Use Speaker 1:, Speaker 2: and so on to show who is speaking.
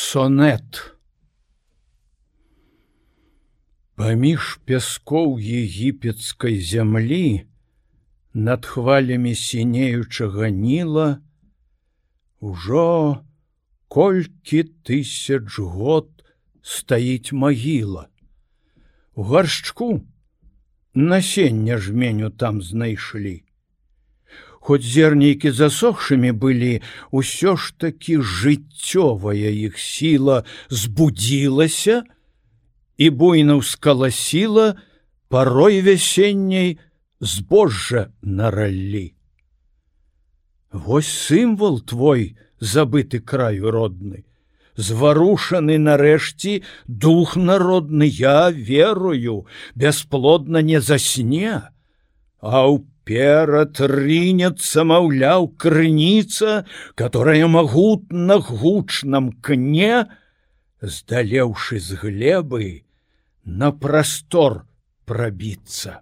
Speaker 1: Сонет. Паміж пяскоў егіпецкай зямлі над хвалямі сінеючага Ніла ужо колькі тысяч год стаіць магіла. У гаршчку насення жменю там знайшлі. Хоць зернейкі засохшымі былі, усё ж такі жыццёвая іх сіла збудзілася і буйна ўскаласіла парой вясенняй збожжа на раллі. Вось сімвал твой, забыты краю родны, зварушаны нарэшце дух народны, я верую, бясплодна не засне, а ўперад рынецца, маўляў, крыніца, которая магутна гучном кне, здалеўшы з глебы, на прастор прабіцца.